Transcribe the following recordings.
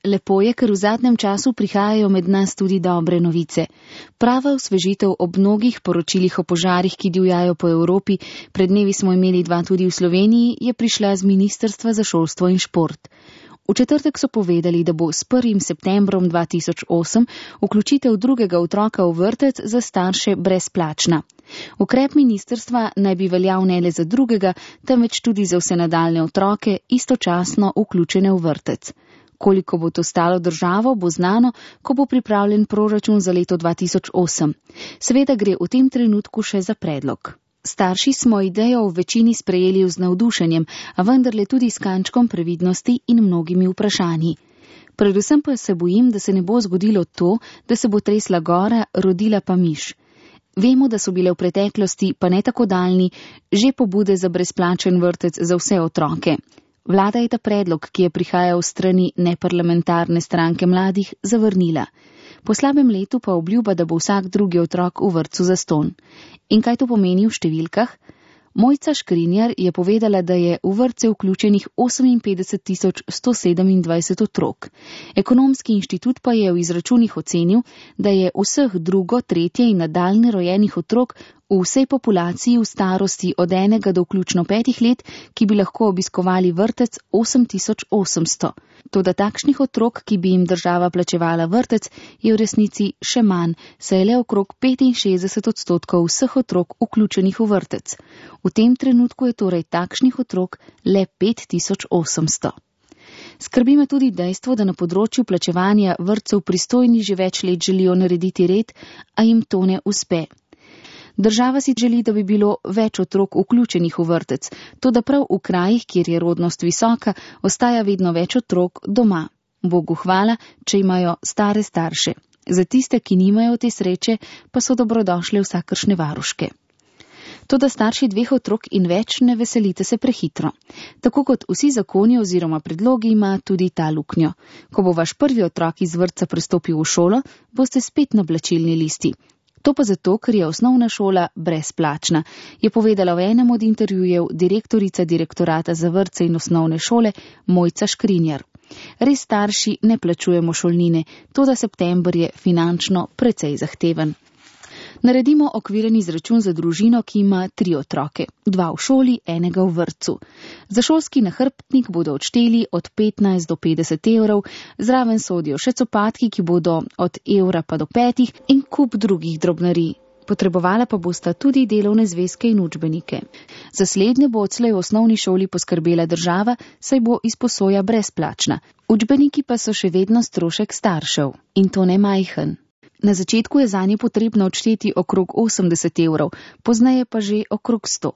Lepo je, ker v zadnjem času prihajajo med nas tudi dobre novice. Prava osvežitev ob mnogih poročilih o požarih, ki divjajo po Evropi, pred dnevi smo imeli 2 tudi v Sloveniji, je prišla z Ministrstva za šolstvo in šport. V četrtek so povedali, da bo s 1. septembrom 2008 vključitev drugega otroka v vrtec za starše brezplačna. Ukrep ministrstva naj bi veljal ne le za drugega, temveč tudi za vse nadaljne otroke, istočasno vključene v vrtec. Koliko bo to stalo državo, bo znano, ko bo pripravljen proračun za leto 2008. Seveda gre v tem trenutku še za predlog. Starši smo idejo v večini sprejeli z navdušenjem, a vendarle tudi s kančkom previdnosti in mnogimi vprašanji. Predvsem pa se bojim, da se ne bo zgodilo to, da se bo tresla gora, rodila pa miš. Vemo, da so bile v preteklosti, pa ne tako daljni, že pobude za brezplačen vrtec za vse otroke. Vlada je ta predlog, ki je prihajal strani neparlamentarne stranke mladih, zavrnila. Po slabem letu pa obljuba, da bo vsak drugi otrok v vrtcu zastonj. In kaj to pomeni v številkah? Mojca Škrinjar je povedala, da je v vrtce vključenih 58.127 otrok. Ekonomski inštitut pa je v izračunih ocenil, da je vseh drugo, tretje in nadaljne rojenih otrok v vsej populaciji v starosti od 1 do vključno 5 let, ki bi lahko obiskovali vrtec 8.800. Toda takšnih otrok, ki bi jim država plačevala vrtec, je v resnici še manj, saj je le okrog 65% vseh otrok vključenih v vrtec. V tem trenutku je torej takšnih otrok le 5.800. Skrbi me tudi dejstvo, da na področju plačevanja vrtcev pristojni že več let želijo narediti red, a jim to ne uspe. Država si želi, da bi bilo več otrok vključenih v vrtec, toda prav v krajih, kjer je rodnost visoka, ostaja vedno več otrok doma. Bogu hvala, če imajo stare starše. Za tiste, ki nimajo te sreče, pa so dobrodošle vsakršne varuške. Toda starši 2 otrok in več ne veselite se prehitro. Tako kot vsi zakoni oziroma predlogi ima tudi ta luknjo. Ko bo vaš prvi otrok iz vrtca prestopil v šolo, boste spet na plačilni listi. To pa zato, ker je osnovna šola brezplačna, je povedala v enem od intervjujev direktorica direktorata za vrtce in osnovne šole Mojca Škrinjar. Res starši ne plačujemo šolnine, toda september je finančno precej zahteven. Naredimo okviren izračun za družino, ki ima 3 otroke, 2 v šoli, 1 v vrtcu. Za šolski nahrbtnik bodo odšteli od 15 do 50 evrov, zraven sodijo še copatki, ki bodo od evra pa do 5 in kup drugih drobnarij. Potrebovala pa bosta tudi delovne zvezke in učbenike. Za slednje bo odslej v osnovni šoli poskrbela država, saj bo izposoja brezplačna. Učbeniki pa so še vedno strošek staršev. In to ne majhen. Na začetku je zanje potrebno odšteti okrog 80 evrov, pozneje pa že okrog 100.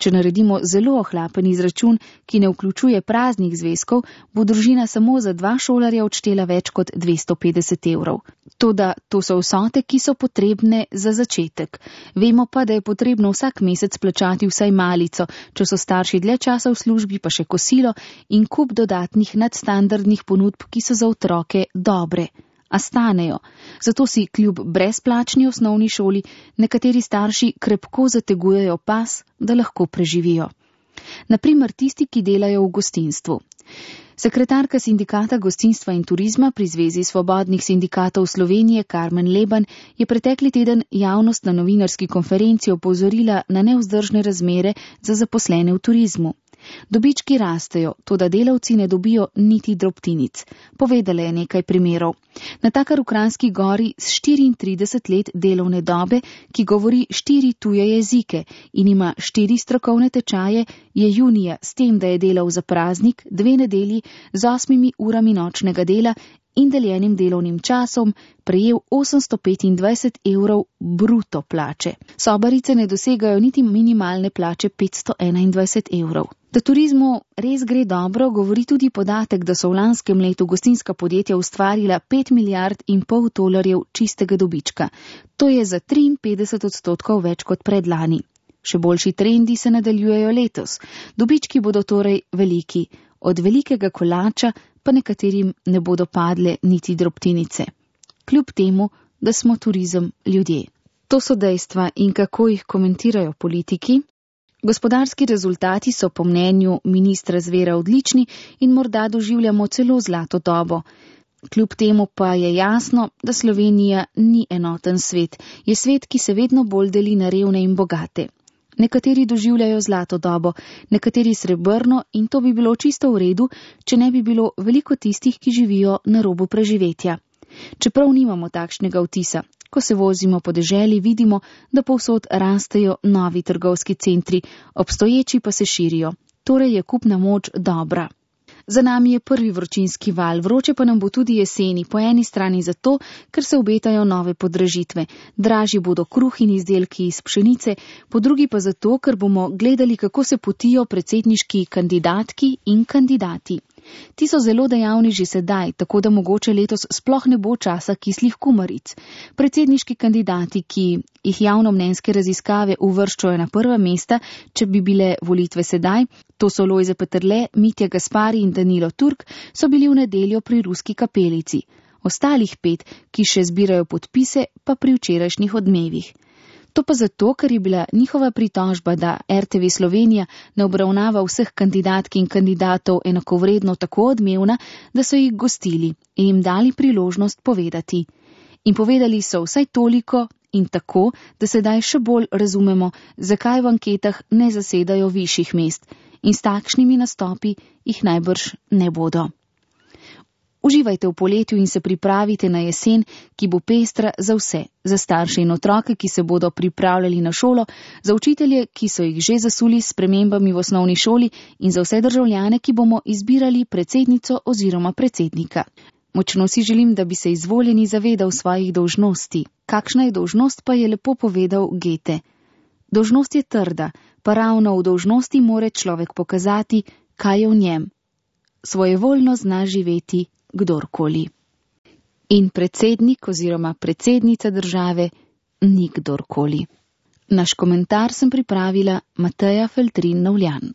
Če naredimo zelo ohlapen izračun, ki ne vključuje praznih zvezkov, bo družina samo za 2 šolarja odštela več kot 250 evrov. Toda to so vsote, ki so potrebne za začetek. Vemo pa, da je potrebno vsak mesec plačati vsaj malico, če so starši dlje časa v službi, pa še kosilo in kup dodatnih nadstandardnih ponudb, ki so za otroke dobre. A stanejo. Zato si kljub brezplačni osnovni šoli nekateri starši krepko zategujejo pas, da lahko preživijo. Naprimer tisti, ki delajo v gostinstvu. Sekretarka sindikata gostinstva in turizma pri Zvezi svobodnih sindikatov Slovenije Karmen Leban je pretekli teden javnost na novinarski konferenci opozorila na nevzdržne razmere za zaposlene v turizmu. Dobički rastejo, toda delavci ne dobijo niti drobtinic. Povedala je nekaj primerov. Natakar v Kranjski Gori s 34 let delovne dobe, ki govori 4 tuje jezike in ima 4 strokovne tečaje, je junija s tem, da je delal za praznik 2 nedelji z 8 urami nočnega dela in deljenim delovnim časom prejel 825 evrov bruto plače. Sobarice ne dosegajo niti minimalne plače 521 evrov. Da turizmu res gre dobro, govori tudi podatek, da so v lanskem letu gostinska podjetja ustvarila 5 milijard in pol dolarjev čistega dobička. To je za 53% več kot predlani. Še boljši trendi se nadaljujejo letos. Dobički bodo torej veliki. Od velikega kolača pa nekaterim ne bodo padle niti drobtinice. Kljub temu, da smo turizem ljudje. To so dejstva in kako jih komentirajo politiki. Gospodarski rezultati so po mnenju ministra Zvera odlični in morda doživljamo celo zlato dobo. Kljub temu pa je jasno, da Slovenija ni enoten svet, je svet, ki se vedno bolj deli na revne in bogate. Nekateri doživljajo zlato dobo, nekateri srebrno in to bi bilo čisto v redu, če ne bi bilo veliko tistih, ki živijo na robu preživetja. Čeprav nimamo takšnega vtisa, ko se vozimo po deželi, vidimo, da povsod rastejo novi trgovski centri, obstoječi pa se širijo. Torej je kupna moč dobra. Za nami je prvi vročinski val, vroče pa nam bo tudi jeseni, po eni strani zato, ker se obetajo nove podražitve. Dražji bodo kruh in izdelki iz pšenice, po drugi pa zato, ker bomo gledali, kako se potijo predsedniški kandidatki in kandidati. Ti so zelo dejavni že sedaj, tako da mogoče letos sploh ne bo časa kislih kumaric. Predsedniški kandidati, ki jih javnomnenjske raziskave uvrščajo na prva mesta, če bi bile volitve sedaj, to so Lojze Peterle, Mitja Gaspari in Danilo Turk, so bili v nedeljo pri Ruski kapelici. Ostalih 5, ki še zbirajo podpise, pa pri včerajšnjih odmevih. To pa zato, ker je bila njihova pritožba, da RTV Slovenija ne obravnava vseh kandidatk in kandidatov enakovredno tako odmevna, da so jih gostili in jim dali priložnost povedati. In povedali so vsaj toliko in tako, da sedaj še bolj razumemo, zakaj v anketah ne zasedajo višjih mest in s takšnimi nastopi jih najbrž ne bodo. Uživajte v poletju in se pripravite na jesen, ki bo pestra za vse, za starše in otroke, ki se bodo pripravljali na šolo, za učitelje, ki so jih že zasuli s spremembami v osnovni šoli in za vse državljane, ki bomo izbirali predsednico oziroma predsednika. Močno si želim, da bi se izvoljeni zavedal svojih dolžnosti. Kakšna je dolžnost, pa je lepo povedal Goethe. Dolžnost je trda, pa ravno v dolžnosti more človek pokazati, kaj je v njem. Svojevoljno zna živeti kdorkoli. In predsednik oziroma predsednica države ni kdorkoli. Naš komentar sem pripravila Mateja Feltrin Novljan.